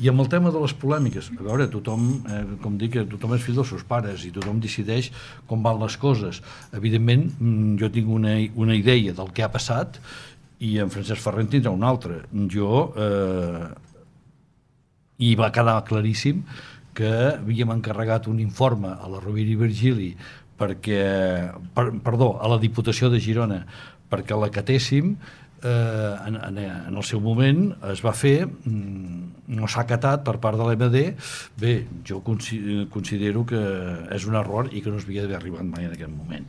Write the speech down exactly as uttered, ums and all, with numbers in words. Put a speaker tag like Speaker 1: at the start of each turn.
Speaker 1: I amb el tema de les polèmiques, a veure, tothom, eh, com dic, tothom és fill dels seus pares i tothom decideix com van les coses. Evidentment, jo tinc una, una idea del que ha passat i en Francesc Ferrer en tindrà una altra. Jo, eh, i va quedar claríssim que havíem encarregat un informe a la Rovira i Virgili perquè, per, perdó, a la Diputació de Girona perquè l'acatéssim. Eh, en, en, en el seu moment es va fer, no s'ha acatat per part de l'E M D. Bé, jo considero que és un error i que no es havia d'haver arribat mai en aquest moment.